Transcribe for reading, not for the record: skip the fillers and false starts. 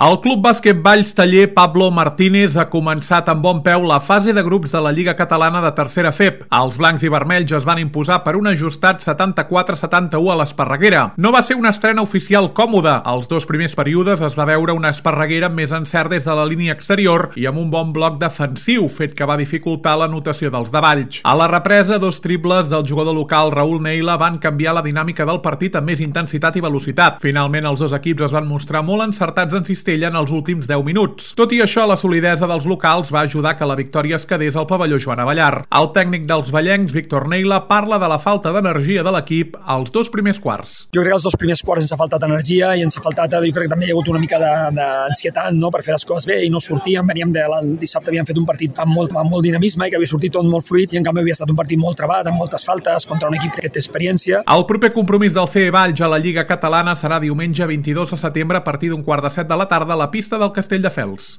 El Club Bàsquet Valls Taller Pablo Martínez ha començat amb bon peu la fase de grups de la Lliga Catalana de Tercera FEP. Els blancs i vermells es van imposar per un ajustat 74-71 a l'Esparreguera. No va ser una estrena oficial còmoda. Els dos primers períodes es va veure una Esparreguera amb més encert des de la línia exterior i amb un bon bloc defensiu, fet que va dificultar l'anotació dels de Valls. A la represa, dos triples del jugador local Raúl Neila van canviar la dinàmica del partit amb més intensitat i velocitat. Finalment, els dos equips es van mostrar molt encertats en cistella en els últims 10 minuts. Tot i això, la solidesa dels locals va ajudar que la victòria es quedés al pavelló Joan Avellar. El tècnic dels vallencs, Víctor Neila, parla de la falta d'energia de l'equip als dos primers quarts. Jo crec que els dos primers quarts ens ha faltat energia i ens ha faltat, jo crec que també hi ha hagut una mica d'ansietat, no?, per fer les coses bé i no sortíem. Veníem dissabte havíem fet un partit amb molt dinamisme i que havia sortit tot molt fluid i en canvi havia estat un partit molt trebat, amb moltes faltes, contra un equip que té experiència. El proper compromís del CE Valls a la Lliga Catalana serà diumenge 22 de setembre a partir d'un 6:15 de la tarda a la pista del Castelldefels.